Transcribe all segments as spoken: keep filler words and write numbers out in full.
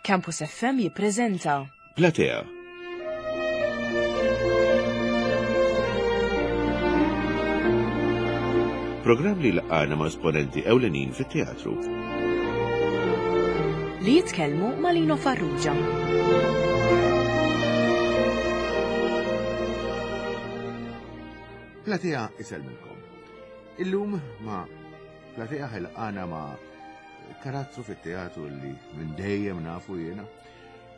Campus F M jippreżenta Platea. Programm li laqana ma' esponenti ewlenin fit-teatru. Li jitkellmu ma' Lino Farrugia. Platea isellmilkom. Illum ma' Platea ħilqana ma' karattru fit-teatru li minn dejjem nafu jiena,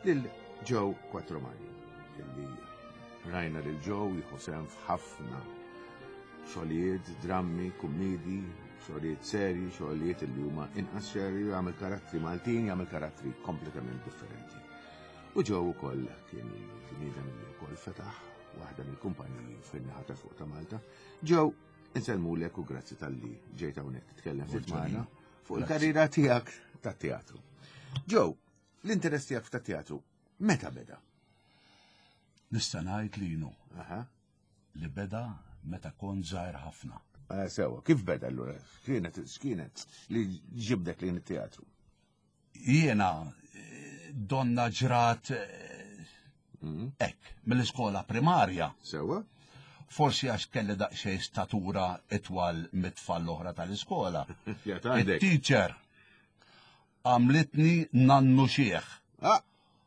lil Joe Quattromani, illi rajna lil Joe jieħu sehem f'ħafna xogħlijiet, drammi, kummidi, xogħlijiet serji, xogħlijiet li huma inqas serji, jagħmel karattri Maltin, jagħmel karattri kompletament differenti. U Joe ukoll kien bniedem li wkoll fetaħ waħda mill-kumpaniji fin-naħa ta' fuq ta' Malta. Joe, insellmulek u grazzi talli ġejt hawnhekk titkellem ftit magħna fuq il-karriera tiegħek tat-teatru. Joe, l-interess tiegħek tat-teatru meta beda? Nista' ngħid li jinu Aha. li beda meta kont żgħir ħafna. Eh, Sewa, kif beda allura? Kienet x'kienet li ġibdek lejn it-teatru? Jiena eh, donna ġrat eh, Mm. hekk mill-iskola primarja. Sewa? Forsi għax kelli daqsxejn statura itwal mit-tfal l-oħra tal-iskola. Ja, għandek. Il-teacher għamlitni nannu xieħ. Ah,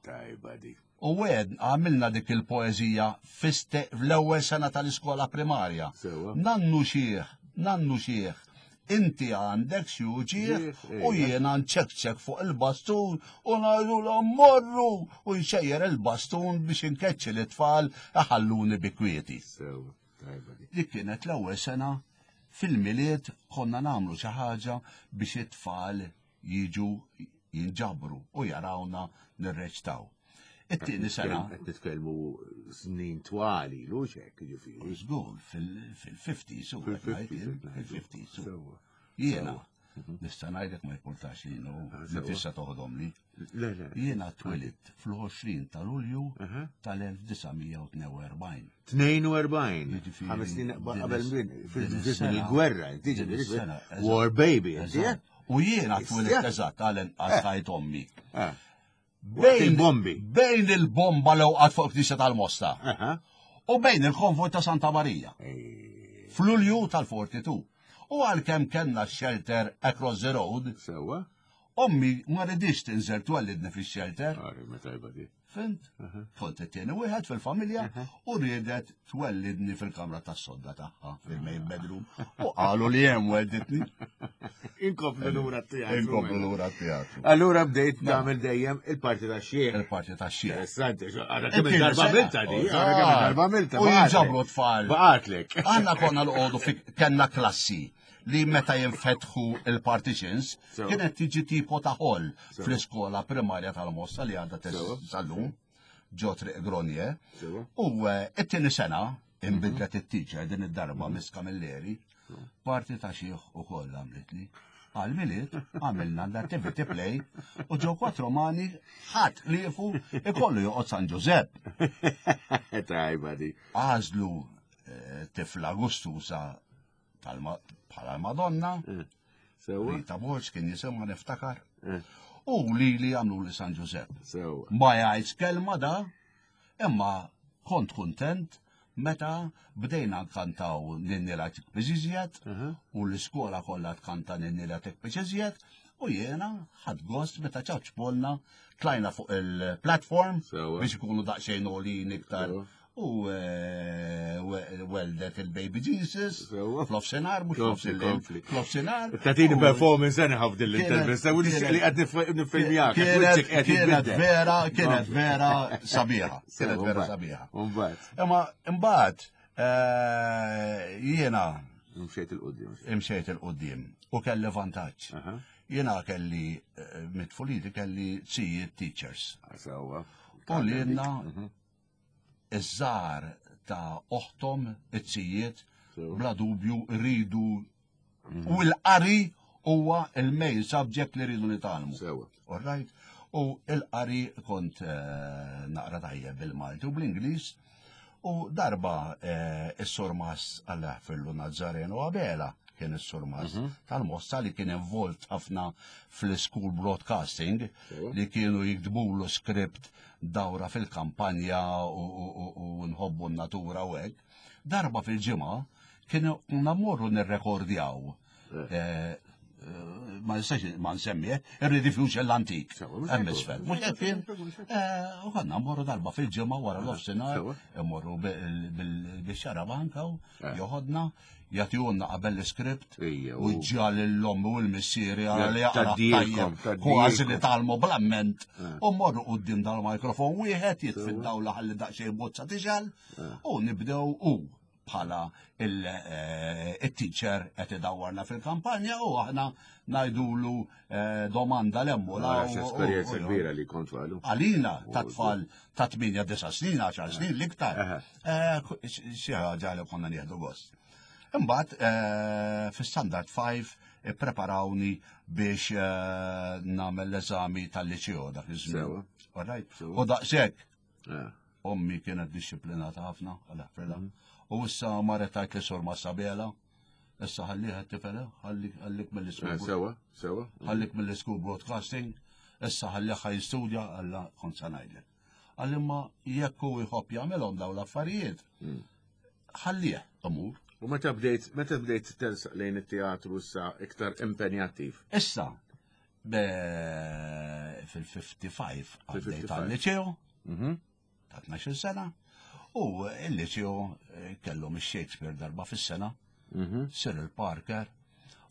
tajba di. U għed għamilna dik il-poezija fiste fl-ewwel sena tal-iskola primarja. Sewa. Nannu xieħ, nannu xieħ, inti għandek xi uġieħ Ġieħ, u ejja. jiena nċekċek fuq il-bastun u ngħidu morru u nxejjer il-bastun biex inkeċċi l-tfal iħalluni bi kwieti. Sewa, tajba di. Dik kienet l-ewwel sena. Fil-Milied konna nagħmlu xi ħaġa biex it-tfal jiġu jinġabru u jarawna nirreċtaw. It-tieni sena, Qed nitkellmu snin twali, lux hekk jiġifieri. Żgur, fil-fifties, u Fil-fifties, fil-fifties. Sewa. Jiena, nista' ngħidlek, ma jportax li nu, Ah, li sewa. tista' toħodhom li. Le, le. Jiena twelidt fl-għoxrin ta' Lulju Aha. tal-elf disa' mija u tnejn u erbgħin. tnejn u erbgħin. Jiġifieri, Ħames snin din qabel is- min, din fil-żmien is-sena- il-gwerra, inti din ġifieri, is-sena, eżatt. War baby, inti, eh? Eżatt. U jiena twelidt Issa. eżatt għal inqas ħajt ommi. Ah. Waqt il-bombi. Bejn il-bomba li waqgħet fuq Knisja tal-Mosta Aha. u bejn il-konvoj ta' Santa Marija. Ej, F'Lulju tal-erbgħa u erbgħin. U għalkemm kellna shelter across the road, Sewa. ommi ma ridix tinżel twellidni fix-shelter. Għari, ma tajba di. Fhimt? Kont it-tieni wieħed fil-familja u riedet twellidni fil-kamra tas-sodda tagħha fil-main bedroom. U qalu li hemm welditni. Inkomplu lura t-teatru. Inkomplu lura t-teatru. Allura bdejt tagħmel dejjem il-parti ta' xieħ. Il-parti tax-xieħ. Interessanti, għara kemm il-darba għamilta di, għara kemm il-darba għamilta. U jinġabru tfal. Baqatlek. Għanna konna l-qodu fi kellna klassi li meta jinfetħu il-partitions Sewa. kienet tiġi tipo ta' hall Sewa. fl-iskola primarja tal-Mosta li għadha Sewa. sal-lum ġo Triq Gronje. Sewa. U eh, it-tieni sena inbidlet it-teacher din id-darba, Miss Camilleri, parti ta' xieħ u koll għamlitli. Għal-Milied għamilna l-activity play u Joe Quattromani ħadd lifu ikollu joqgħod San Giuseppe. Tajba di. Għażlu eh, tifla gustusa tal-ma- bħala l-Madonna, Sewa. Rita Borg kien jisimha, niftakar, Eh. u li li għamlu li San Giuseppe. Sewa. Ma jgħidx kelma da, imma kont kontent meta bdejna nkantaw Ninni la Tikbiżiżjed u l-iskola kollha tkanta Ninni la Tikbiżiżjed u jiena ħadt gost meta ċapċpulna, tlajna fuq il-platform Sewa. biex ikunu daqsxejn għolin iktar Sewa. u eh, we- weldet il-Baby Jesus Sewa. f'nofsinhar, mhux Kompli, f'nofs kompli. F'nofsinhar. Tatini U- performance anyhow f'din l-intervista, u Kienet- li qed nifilmjak. Kienet kienet vera, kienet vera sabiħa. Kienet vera sabiħa. Umbagħad. Imma imbagħad eh, jiena Mxejt il-qudiem. imxejt il-qudiem u kelli vantaġġ. Aha. Jiena kelli eh, mit-tfuliti kelli zijiet teachers. Sewa. U li jenna iż-żar ta' oħtom it-zijiet Sewa. bla dubju rridu u l-qari huwa il-main subject li rridu nitgħallmu. Sewa. All right? U il-qari kont eh, naqra tajjeb bil-Malti u bl-Ingliż. U darba eh, is-surmas, Alla jaħfirlu, Nazzareno Abela, kien is-surmast tal-Mosta li kien involt ħafna fl-school broadcasting li kienu jiktbulu script dawra fil-kampanja u, u, u, u nħobbu n-natura u hekk. Darba fil-ġimgħa kienu mmorru nirrekordjaw. Eh, eh, ma nistax ma nsemmi, ir-rediffusion l-antik. Sewa, mhux Hemm hekk. isfel. Mhux hekk kien. Eh, U konna mmorru darba fil-ġimgħa wara l-offsinar, immorru bil-xarabanka u joħodna, jagħtihulna qabel l-iskript Ejja, u u- ġġiegħel l-ommi u l-missieri għara li jaqra Tgħaddilkom, tajjeb, kważi li tgħaddilkom. talmu bl-amment u mmorru quddiem dal-mikrofon wieħed jitfi d-dawla ħalli daqsxejn bozza tixgħel u nibdew u bħala il-teacher qed idawwarna fil-kampanja u aħna ngħidulu eh, domanda l-emmu Għax esperjenza kbira li kont għalu. Għalina ta' tfal ta' tmienja, disa' snin, għaxar snin l-iktar. Aha. Eh, Xi ħaġa li konna nieħdu gost. Imbagħad eh, fi Standard five ippreparawni biex eh, nagħmel l-eżami tal-liċeo dak iż-żmien. Sewa. Alright. Sewa. U daqshekk Eh, ommi kienet disciplinata ħafna, għal U issa marret tgħid lis-Sur Sabela, issa ħalliha t-tifel, ħallik ħallik eh, mill-school. Sewa, sewa. Ħallik mill-school broadcasting, issa ħalliha jistudja, għalla kont sa ngħidlek. Għalli ma jekk hu jħobb jagħmelhom dawn l-affarijiet, ħallih imur. U meta bdejt, meta bdejt tersaq lejn it-teatru issa iktar impenjattiv? Issa, be- fil-ħamsa u ħamsin għaddejt Fil-ħamsa u ħamsin. għal-liceo, Mhm. ta' tnax-il sena, u il-liceo eh, kellhom il-Shakespeare darba fis-sena, Mhm. Cyril Parker,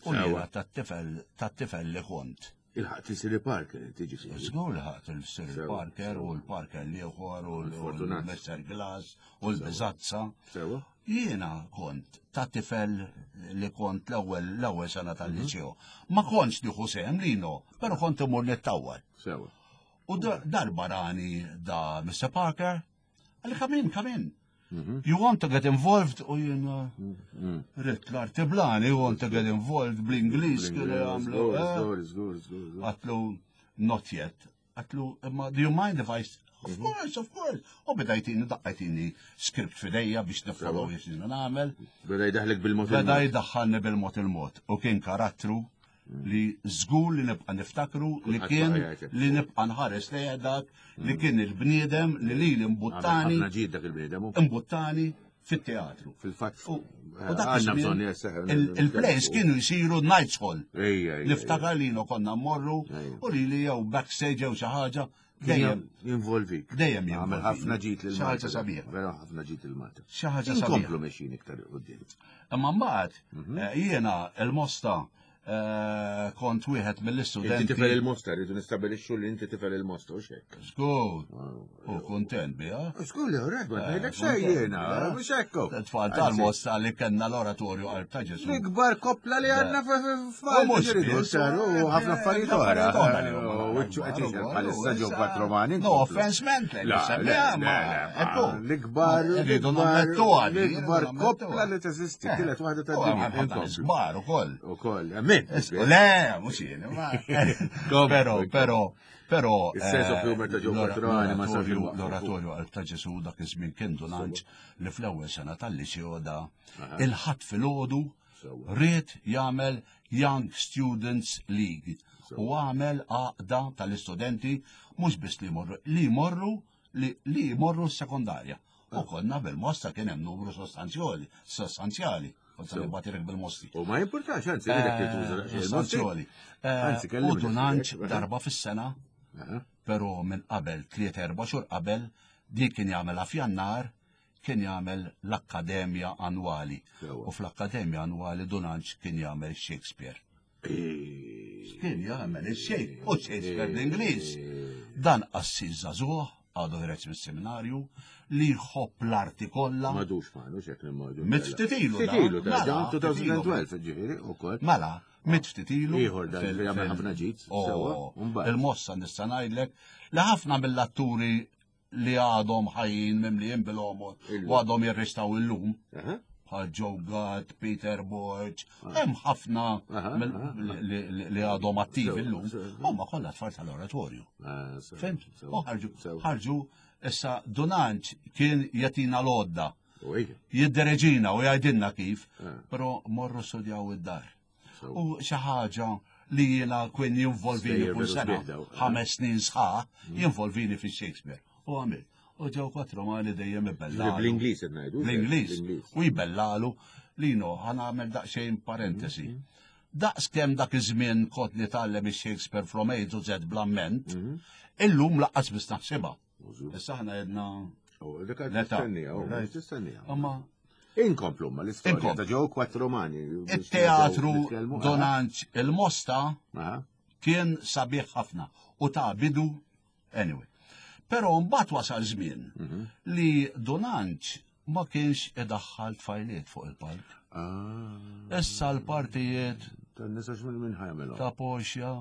u Sewa. jiena tat-tifel tat-tifel li kont. Ilħaqt Cyril Parker, tiġi fi. Żgur li ħadt il-Cyril Sewa, Parker u l-Parker l-ieħor u Fortunat. l-Mister Glass u l-Biżazza. Sewa. Jiena kont ta' tifel li kont l-ewwel l-ewwel sena tal-liceo. Ma kontx nieħu sehem lino, però kont imur nittawwal. Sewa. U da- darba rani da Mister Parker, qalli, "Come in, come in. You want to get involved?" U jiena ridt l-artiblani, "You want to get involved" bl-Ingliż kienu jagħmlu. eh. Żgur, żgur, żgur, żgur. Għedtlu, "Not yet." Għedtlu, "Imma do you mind if I..." "Of course, of course." U beda jtini daqqa jtini script f'idejja biex nifollow x'inhu nagħmel. Beda jdaħlek bil-mod. Beda jdaħħalni bil-mod il-mod. U kien karattru li żgur li nibqa' niftakru li Kulħadd kien baqa' jgħid. li nibqa' nħares lejha dak li kien il-bniedem li li imbuttani Ħafna ġid dak il-bniedem. u imbuttani fit-teatru. Fil-fatt, U u dak għandna iż-żmien bżonn jesseħ. il- Il-plays kienu jisiru Knights Hall. Ejja, ejja. Niftakar li konna mmorru Ejja. u li li jew backstage jew xi ħaġa dejjem Jinvolvik. dejjem Għamel jinvolvini. ħafna ġid lil Xi Malta. ħaġa sabiħa. Vera ħafna ġid lil Malta. Xi ħaġa Inkomplu sabiħa. mexjin iktar quddiem. Imma mbagħad eh, jiena il-Mosta eh, kont wieħed Inti mill-istudenti. tifel il-Mosta, rridu nistabilixxu li inti tifel il-Mosta u xek. Żgur. U kontent biha. Żgur li rek, ma ngħidlek Eh, xejn kontent jiena, biha. mhux hekk. Tfal tal-Mosta li kellna l-oratorju Qalb ta' Ġesu. L-ikbar koppla li għandna U mhux biss, u ħafna affarijiet oħra. oħra li huma U wiċċu qed akbar, jixel u bħalissa ġew issa- patromani. No offense meant, Le, li le, semmiha, le, ma le, ekku. L-ikbar, Rridu l-ikbar, nammettu għadi, l-ikbar rridu koppla nammettu. li teżisti, Eh. tielet waħda U tad-dinja. ħafna Inkomplu. Kbar ukoll. Ukoll, amen. Le, mhux jien, ma. Però, però, però. Il-sense of eh, humor ta' Joe l-ora- Quattromani ma sarx l-oratorju- imwaqqaf. L-oratorju Qalb ta' Ġesu dak iż-żmien kien Dunanġ li fl-ewwel sena tal-liceo da il-Ħadd filgħodu Sewa. ried jagħmel Young Students League u għamel għaqda tal-istudenti mhux biss li jmorru li jmorru li, li jmorru s-sekondarja. U konna bil-Mosta kien hemm numru sostanzjali, sostanzjali. Kont se nibgħatilek bil-Mosti. U ma jimpurtax, anzi, ridek li tuża Eh, Sostanzjali. Anzi, Eh, kellimni U Dunanġ ftit, darba fis-sena, però minn qabel tliet erba' xhur qabel dik kien jagħmel f'Jannar kien jagħmel l-Akkademja Annwali. Sewa. U fl-Akkademja Annwali Dunanġ kien jagħmel Shakespeare. Kien jagħmel il-Shakespeare u Shakespeare l-Ingliż. Dan qassis żagħżugħ għadu ħiereġ mis-seminarju li jħobb l-arti kollha. Madux ma, nux hekk nimmaġu. Miet ftit ilu da. Ftit ilu da, Mela, ġan ftit ilu. elfejn u tnax, ġifieri, ukoll. Mela, miet ftit ilu. Ieħor dan fil- li jagħmel fil- ħafna ġid, Oh, sewwa, u mbagħad. Il-Mossa nista' ngħidlek li ħafna mill-atturi li għadhom ħajjin mimlijin bil-għomor Illum. u għadhom jirristaw illum, Aha. bħal Joe Gatt, Peter Borg, hemm ħafna Aha, mill- aha, li- li li għadhom attivi Sewa, illum, sewa. huma kollha tfal tal-oratorju. Ah, sewa, Fhimt? sewa, U ħarġu, sewa. ħarġu, issa Dunanġ kien jagħtina l-għodda. Jiddereġina u jgħidilna kif, però morru studjaw id-dar. U xi ħaġa li jiena kien jinvolvini kull sena, ħames snin sħaħ, jinvolvini fi Shakespeare. U għamil. U Joe Quattromani dejjem ibellalu. Bl-Ingliż qed ngħidu. Bl-Ingliż. U jbellalu Lino, ħa nagħmel daqsxejn parentesi. Daqs kemm dak iż-żmien kont nitgħallem ix-Shakespeare from A to Z bl-amment, illum lanqas biss naħsibha. Issa aħna jedna. L-età. Imma Inkomplu ma l-istorja ta' Joe Quattromani. Il-teatru Dun Anġ il-Mosta kien sabiħ ħafna u ta' bidu anyway. Però mbagħad wasal żmien li Dun Anġ ma kienx idaħħal tfajliet fuq il-palk. Issa l-partijiet Tan-nisa minn ħa jagħmelhom. Ta' Portia.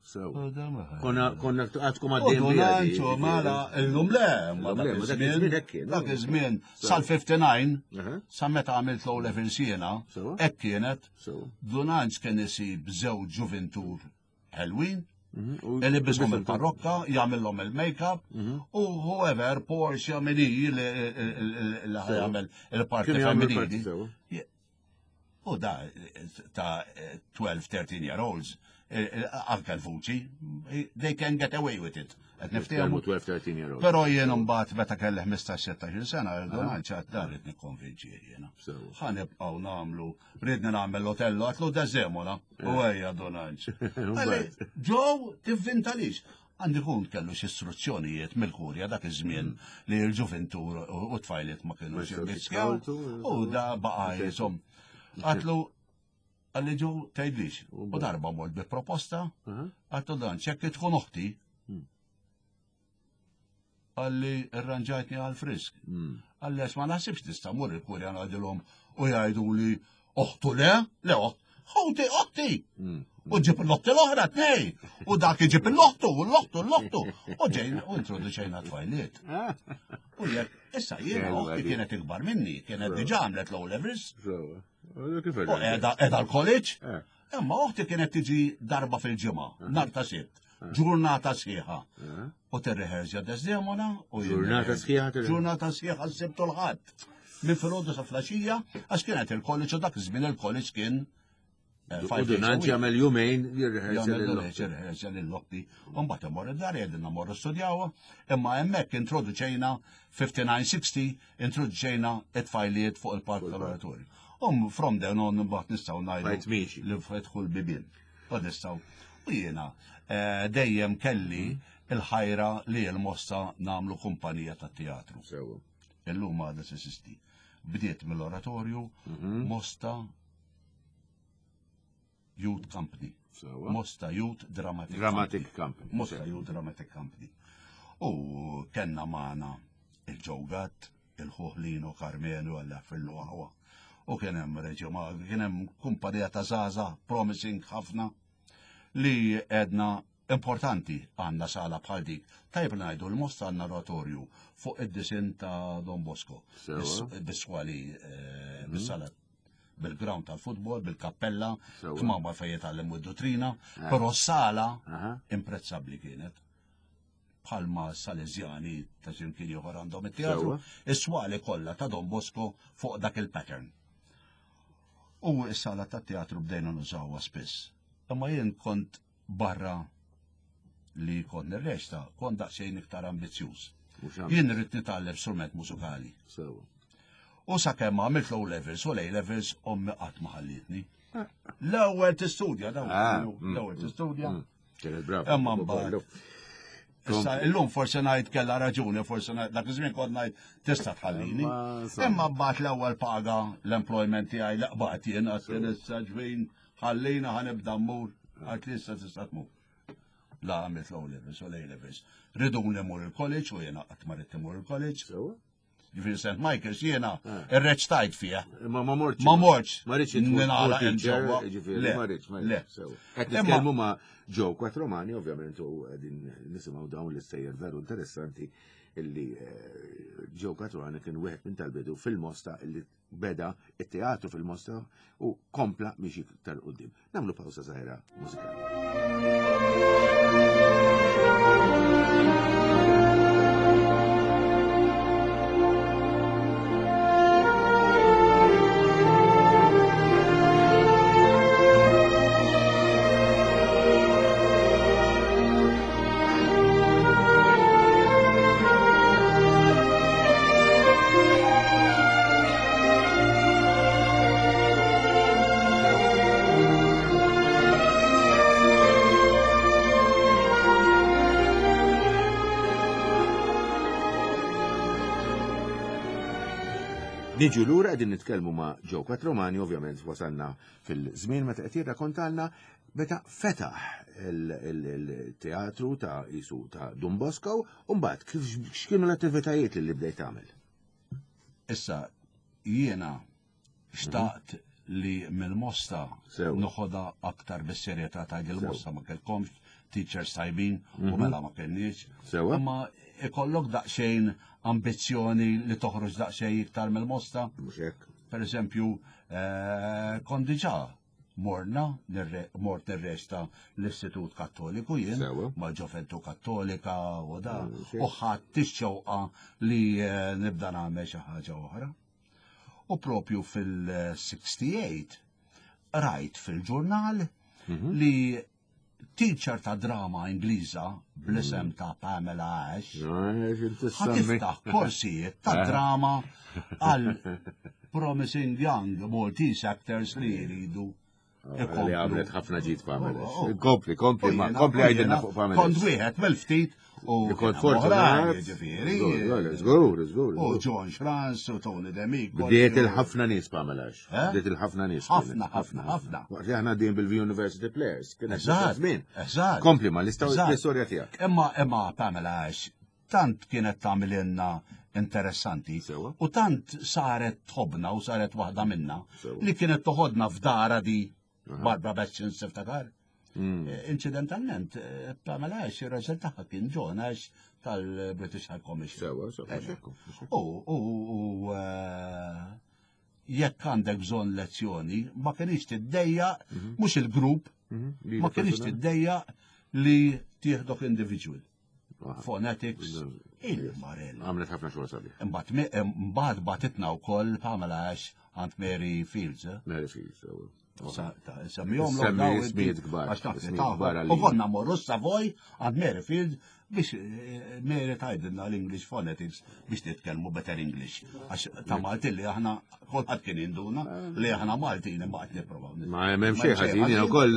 Sew. Konna konna għadkom għaddejn. Dun Anġ, mela, illum le, ma dak iż-żmien, dak iż-żmien sal-ħamsa u ħamsin, sa meta għamilt l-O level jiena, hekk kienet, Dun Anġ kien isib żewġ ġuvintur ħelwin, ilibbishom il-parrokka, jagħmilhom il-make-up, u whoever Portia min hi li jagħmel il-parti femminili. U da ta' tnax, tlettax year olds, anke l-vuċi, they can get away with it. Qed niftehmu. tnax, tlettax year olds. Però jien mbagħad meta kelli ħmistax, sittax-il sena, Dun Anġ dan rrid nikkonvinċi jiena. Ħa nibqgħu nagħmlu, ridni nagħmel l-Otello, għedtlu Desdemona, u ejja Dun Anġ. Joe, tivvintalix. Għandi kun kellu xi istruzzjonijiet mill-kurja dak iż-żmien li l-ġuventur u tfajliet ma kienu jirriskjaw. U da baqa' jisom. Għedtlu, qalli Joe tgħidlix. U darba mort bi proposta, għedtlu dan, ċekki tkun uħti. Qalli irranġajtni għal-frisk. Qalli ma naħsibx tista' mur il-kurja ngħidilhom u jgħidu li oħtu le, le oħt, ħuti oħti. U ġib l-oħti l-oħra tnej. U dak iġib l-oħtu, u l-oħtu, l-oħtu. U ġejn, u introduċejna tfajliet. U jekk, issa jiena oħti kienet ikbar minni, kienet diġà għamlet l-O levels. U qiegħda l-college. Imma oħti kienet tiġi darba fil-ġimgħa, nhar ta' Sibt, ġurnata sħiħa. U tirrehearsja Desdemona u Ġurnata sħiħa? Ġurnata sħiħa s-Sibt u l-Ħadd. Minn filgħodu sa filgħaxija, għax kienet il-college u dak iż-żmien il-college kien U Dun Anġ jagħmel jumejn jirrehearsja jirrehearsja lill-oħti. U mbagħad imorru id-dar jgħidilna morru studjawha, imma hemmhekk introduċejna ħamsa u ħamsin sittaw introduċejna it-tfajliet fuq il-palk tal-oratorju. Um from then on mbagħad nistgħu ngħidu li fetħu l-bibien. U nistgħu. U jiena dejjem kelli il-ħajra li l-Mosta nagħmlu kumpanija tat-teatru. Illum għadha teżisti. Bdiet mill-oratorju Mosta Youth Company. Mosta Youth Dramatic, Dramatic Company. Mosta Youth Dramatic Company. U kellna magħna il-Joe Gatt, il-Ħuħlino Carmenu għalla fil-luħwa. U kien hemm Reġio kien hemm kumpanija ta' żgħażagħ, promising ħafna, li edna importanti għandna sala bħal dik. Tajb ngħidu l-Mosta għandna oratorju fuq id-disin ta' Don Bosco. Bis-swali, bis-sala bil-ground tal-futbol, bil-kappella, kmamar fejn jitgħallmu d-dottrina, però sala imprezzabbli kienet. Bħalma Salesjani ta' ximkien ieħor għandhom it-teatru, is-swali kollha ta' Don Bosco fuq dak il-pattern. U s-sala tat-teatru bdejna nużawha spiss. Imma jien kont barra li kont nirreċta, kont daqsxejn iktar ambizzjuż. Jien rrid nitgħallem strument mużikali. U sakemm għamilt low levels u A levels ommi qatt ma ħallitni. L-ewwel tistudja dawn, l-ewwel tistudja. Imma mbagħad. Issa illum forsi ngħid kellha raġuni, forsi ngħid dak iż-żmien kont ngħid tista' tħallini. Imma mbagħad l-ewwel paga l-employment tiegħi li qbaqt jien għad kien issa ġwin ħallina ħa nibda mmur, għad li issa tista' tmur. La għamilt low levels u A levels. Riduni mmur il-college u jiena qatt ma ridt immur il-college. Ġifieri Saint Michael's jiena irreċtajt fija. Ma ma mortx. Ma mortx. Ma rridx Ninala ġewwa. Ġifieri ma rridx, ma rridx. Qed nitkellmu ma' Joe Quattromani, ovvjament, u qegħdin nisimgħu dawn l-istejjer veru interessanti illi Joe Quattromani kien wieħed minn tal-bidu fil-Mosta illi beda it-teatru fil-Mosta u kompla miexi iktar quddiem. Nagħmlu pawsa żgħira mużikali. Niġu lura qegħdin nitkellmu ma' Joe Quattromani, ovvjament wasalna fil-żmien meta qed jirrakkontalna meta fetaħ il-teatru ta' Isu ta' Don Bosco, u mbagħad kif x'kienu l-attivitajiet li bdejt tagħmel? Issa jiena xtaqt li mill-Mosta noħodha aktar bis-serjetà ta' il-Mosta ma kellkomx teachers tajbin u mela ma kenniex. Imma ikollok daqsxejn ambizzjoni li toħroġ daqsxejn iktar mill-Mosta. Mhux hekk. Per eżempju, kont diġà morna, mort nirresta l-Istitut Kattoliku jien, mal-Ġoventù Kattolika u da, u ħadd ix-xewqa li nibda nagħmel xi ħaġa oħra. U propju fil-sixty-eight rajt fil-ġurnal li teacher ta' drama Ingliża bl-isem ta' Pamela Ash ħa tiftaħ korsijiet ta' drama għal promising young Maltese actors li jridu. Li għamlet ħafna ġid Pamela Ash. Kompli, kompli, ma kompli għajdilna fuq Pamela Ash. Kont wieħed mill-ftit u kont fortunat. Ġifieri. Żgur, żgur. U John Schranz u Tony D'Amico. Bdiet il-ħafna nies Pamela Ash. Bdiet il-ħafna nies. Ħafna, ħafna, ħafna. Waqt li aħna din bil-University Players. Eżatt. Eżatt. Kompli ma l-istorja tiegħek. Imma imma Pamela Ash tant kienet tagħmilna interessanti u tant saret tħobna u saret waħda minna li kienet toħodna f'dara di Barbara Bessin tiftakar. Incidentalment, Pamela Ash, ir-raġel tagħha kien John Ash tal-British High Commission. Sewa, sewa. U jekk għandek bżonn lezzjoni, ma kienx tiddejjaq, mhux il-grupp, ma kienx tiddejjaq li tieħdok individual. Phonetics, il-marella. Għamlet ħafna xogħol sabiħ. Imbagħad bagħtitna wkoll Pamela Ash għand Mary Fields. Mary Fields, sewa. Semmihom ismijiet kbar. U konna morru Savoy għand Mary Field biex Mary tgħidilna l-English phonetics biex titkellmu better English. Għax ta' Malti li aħna kulħadd kien jinduna li aħna Maltin imma qed nipprovaw. Ma hemm xejn ħażin, jien ukoll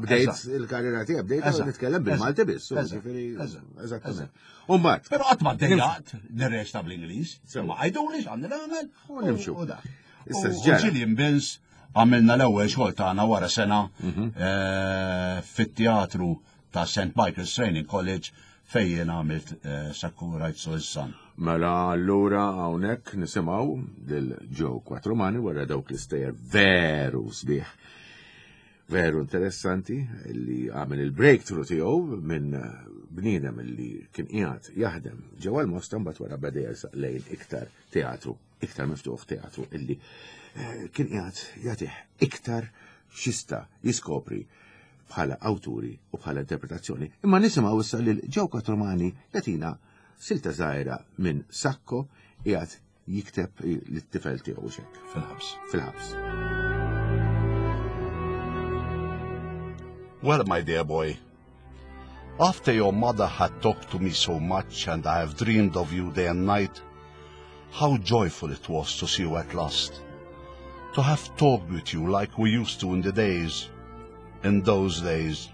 bdejt il-karriera tiegħi bdejt nitkellem bil-Malti biss. Eżattament. U mbagħad. Però qatt ma ddejjaqt nirreċta bl-Ingliż. Ma għajduli x'għandi nagħmel u nimxu. Issa Gillian Binns għamilna l-ewwel xogħol tagħna wara sena fit-teatru ta' Saint Michael's Training College fejn jien għamilt Sacco Writes to His Son. Mela allura hawnhekk nisimgħu lil Joe Quattromani wara dawk l-istejjer veru sbieħ, veru interessanti li għamel il-breakthrough tiegħu minn bniedem li kien qiegħed jaħdem ġewwa l-Mosta mbagħad wara beda jersaq lejn iktar teatru, iktar miftuħ teatru illi kien qiegħed jagħtih iktar xista jiskopri bħala awturi u bħala interpretazzjoni. Imma nisimgħu issa lil Joe Quattromani jagħtina silta żgħira minn Sacco qiegħed jikteb lit-tifel tiegħu x'hekk. Fil-ħabs. Fil-ħabs. Well, my dear boy, after your mother had talked to me so much and I have dreamed of you day and night, how joyful it was to see you at last. To have talked with you like we used to in the days, in those days.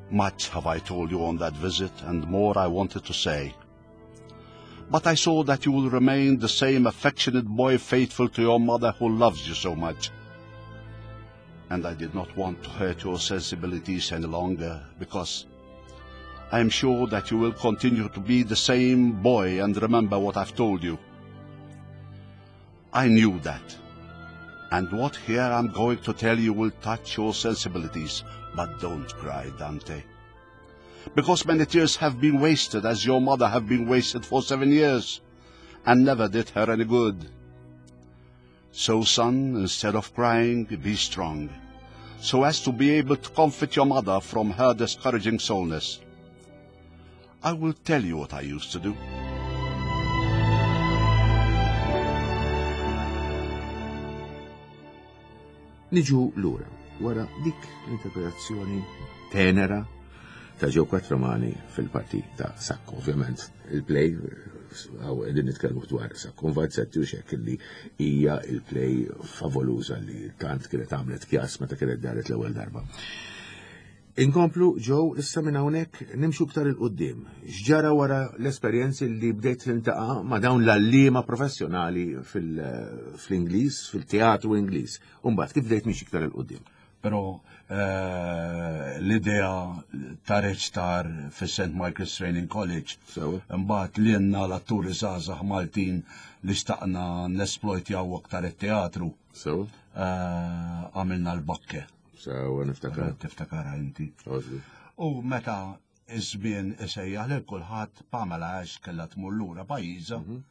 Much have I told you on that visit, and more I wanted to say. But I saw that you will remain the same affectionate boy, faithful to your mother who loves you so much. And I did not want to hurt your sensibilities any longer, because I am sure that you will continue to be the same boy and remember what I've told you. I knew that. And what here I'm going to tell you will touch your sensibilities, but don't cry, Dante. Because many tears have been wasted, as your mother have been wasted for seven years, and never did her any good. So, son, instead of crying, be strong, so as to be able to comfort your mother from her discouraging soreness. I will tell you what I used to do. Niġu lura wara dik l-interpretazzjoni tenera ta' Joe Quattromani fil-parti ta' Sacco. Ovvjament, il-play, għaw qegħdin nitkellmu dwar Sacco Vanzetti u xek li hija il-play favoluża li tant kienet għamlet kjas meta kienet daret l-ewwel darba. Inkomplu ġew issa minn hawnhekk nimxu iktar 'il quddiem. X'ġara wara l-esperjenzi li bdejt tintaqa' ma' dawn l-għalliema professjonali fil-Ingliż, fil-teatru Ingliż. U mbagħad kif bdejt mixi iktar 'il quddiem? Però eh, l-idea ta' reċtar fi Saint Michael's Training College, mbagħad li jenna l-atturi żgħażagħ Maltin li xtaqna nesplojtjaw aktar it-teatru. Eh, għamilna l-Bakke. Sewa, niftakar. Tiftakara inti. U meta iż-żmien isejjaħ lil kulħadd, Pamela Ash kellha tmur lura pajjiżha mhm.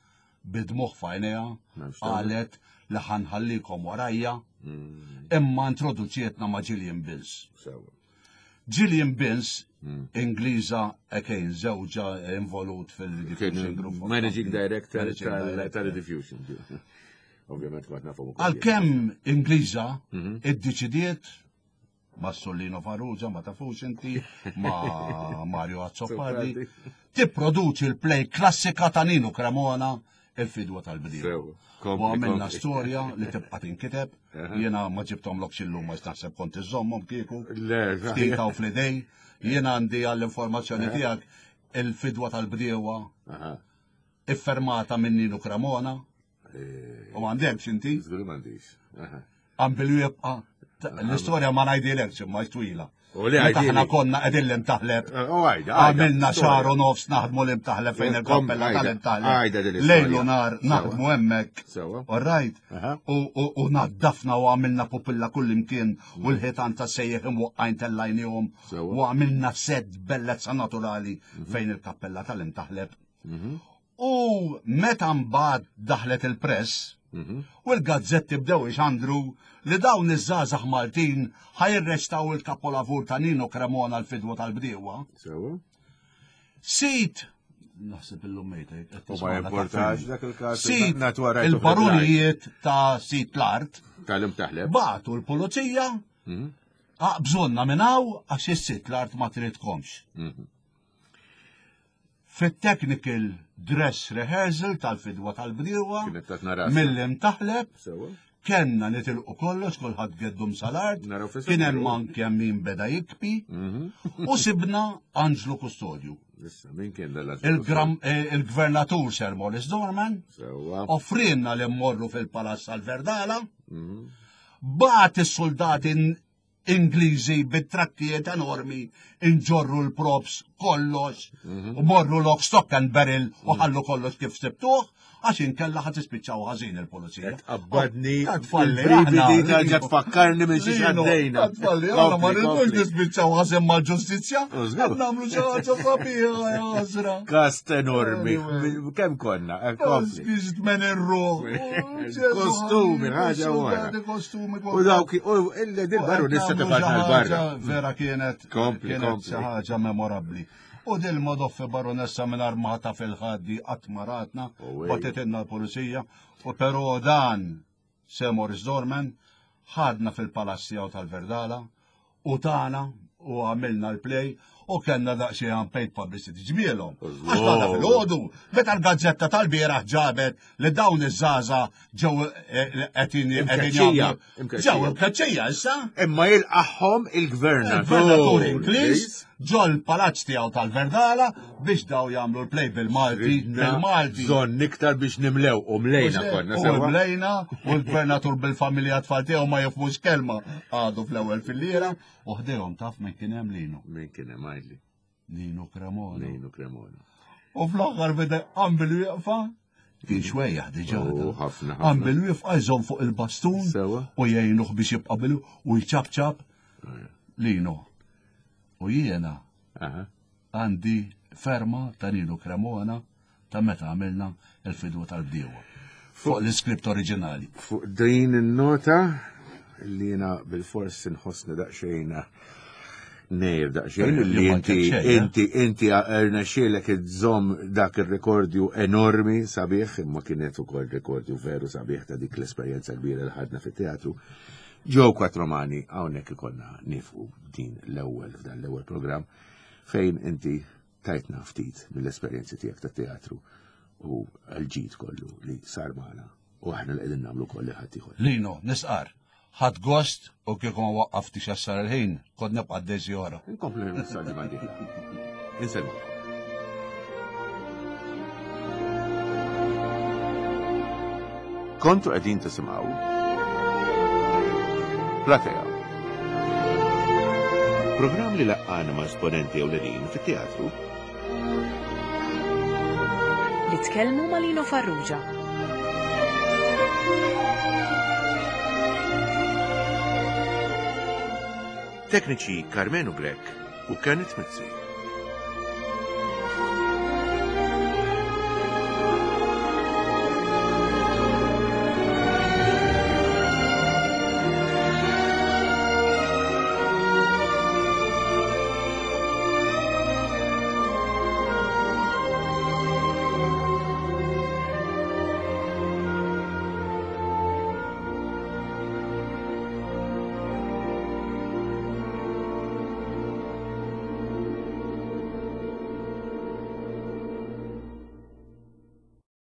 bid-dmugħ f'għajnejha qalet li ħa nħallikom warajja mm. imma introduċietna ma' Gillian Bills. Gillian Bills, mm. Ingliża again, żewġha involut fil-Rediffusion Group. Managing Director tal-Rediffusion. Ovvjament kont nafu. Għalkemm Ingliża mhm. iddeċidiet ma' Sollino Farrugia, ma tafux inti, ma' Mario Azzopardi, tipproduċi l-play klassika ta' Nino Cremona, Il-Fidwa tal-Bdiewa. U għamilna storja li tibqa' tinkiteb, jiena ma ġibthomlokx illum ma naħseb kont iżommhom kieku. Ftit hawn fl-idej, jiena għandi għall-informazzjoni tiegħek Il-Fidwa tal-Bdiewa iffermata minn Nino Cremona. Eh. U għandekx inti? Żgur m'għandix. Għambilu jibqa'. L-istorja ma ngħidilekx imma twila. U li Meta aħna konna qegħdin l-Imtaħleb. Eh, u għajda. Għamilna xahar u nofs naħdmu l-Imtaħleb fejn il-kappella tal-Imtaħleb. Lejl u nar naħdmu hemmhekk. All right. U naddafna u għamilna pupilla kull imkien u mm. l-ħitan ta' sejjeħ imwaqqajn tellajnihom u għamilna set bellezza naturali mhm. fejn il-kappella tal-Imtaħleb. Mhm. U meta mbagħad daħlet il-press, mhm. u l-gazzetti bdew ixandru li dawn iż-żgħażagħ Maltin ħa jirreċtaw il-kapolavur ta' Nino Cremona L-Fidwa tal-Bdiewa. Sit naħseb illum mejta. U ma importax dak il-każ. Sit il-barunijiet ta' sit l-art. Tal-Imtaħleb. Bagħtu l-pulizija. Mhm. Aqbżunna minn hawn għax is-sit l-art ma tridkomx. Mhm. Fit-technical dress rehearsal tal-Fidwa tal-Bdiewa mill-Imtaħleb kellna nitilqu kollox, kulħadd geddum sal-art, kien hemm anke min beda jikpi mhm. u sibna Anġlu Kustodju. Eh, il-gvernatur Sir Morris Dorman offrinna li mmorru fil-Palazz tal-Verdala, mhm. bagħat is-soldati Ingliżi bit-trakkijiet enormi inġorru l-props kollox mhm. u morru lock, stock and barrel u mhm. ħallu kollox kif sibtuh għax inkella ħad tispiċċaw ħażin il-pulizija. Qabbadni tfalli terġa' tfakkarni minn xi għaddejna. Tfalli, aħna ma rridux nispiċċaw ħażin mal-ġustizzja, qed nagħmlu xi ħaġa sabiħa ja ħasra. Kast enormi. Kemm konna? Eh, Biex tmen ir-ruħ. Kostumi, ħaġa wara. Kostumi. U dawk, u il-baru nista tibatna l-barra. Vera kienet kienet xi ħaġa memorabbli. U dil modoffi baronessa minn armata fil-ħaddi qatt maratna, batitinna l-pulizija, u però dan Sir Morris Dorman ħadna fil-palazz tiegħu tal-Verdala u tana u għamilna l-play u kellna daqsxejn unpaid publicity ġmielhom. Għax għadha fil-ħodu, meta l-gazzetta tal-bieraħ ġabet li dawn iż-żgħażagħ ġew eh, qegħdin Imkeċċija, ġew imkeċċija issa. Imma jilqagħhom il-gvernatur. Il-gvernatur Ingliż ġol palazz tiegħu tal-Verdala biex daw jagħmlu l-play bil-Malti, bil-Malti. Bżonn iktar biex nimlew u mlejna konna U sewa. mlejna u l-gvernatur bil-familja tfal tiegħu ma jifhmux kelma għadu fl-ewwel fil-lira u ħdejhom taf min kien hemm Lino. Min kien hemm għidli? Nino Cremona. Nino Cremona. U fl-aħħar beda qam bil-wieqfa kien xwejjaħ diġà. U ħafna Qam ħafna. bil-wieqfa jżomm fuq il-bastun Sewa. u jgħinuh biex jibqa' bil u jċapċap Lino. U jiena Aha. għandi ferma ta' Nino Cremona ta' meta għamilna Il-Fidwa tal-Bdiewa. Fuq l-iskript oriġinali. Fuq din in-nota li jiena bil-fors inħossni daqsxejn nejr daqsxejn li inti eh? inti inti rnexxielek iżżomm dak ir-rekordju enormi sabiħ imma kienet ukoll rekordju veru sabiħ ta' dik l-esperjenza kbira li ħadna fit-teatru. Joe Quattromani hawnhekk ikollna nifqu din l-ewwel f'dan l-ewwel programm fejn inti tajtna ftit mill-esperjenzi tiegħek tat-teatru u l-ġid kollu li sar magħna u aħna li qegħdin nagħmlu koll li ħadd ieħor. Lino, nisqar, Ħadt gost u kieku ma waqqaftix għassar il-ħin, kont nibqa' d-dejsi ora. Inkomplu l-messaġġi ma' Insellmu. Kontu qegħdin tisimgħu Platea. Programm li laqqana ma' esponenti ewlenin fit-teatru. Li tkellmu ma' Lino Farrugia. Tekniċi Carmenu Grech u Kenneth Mizzi.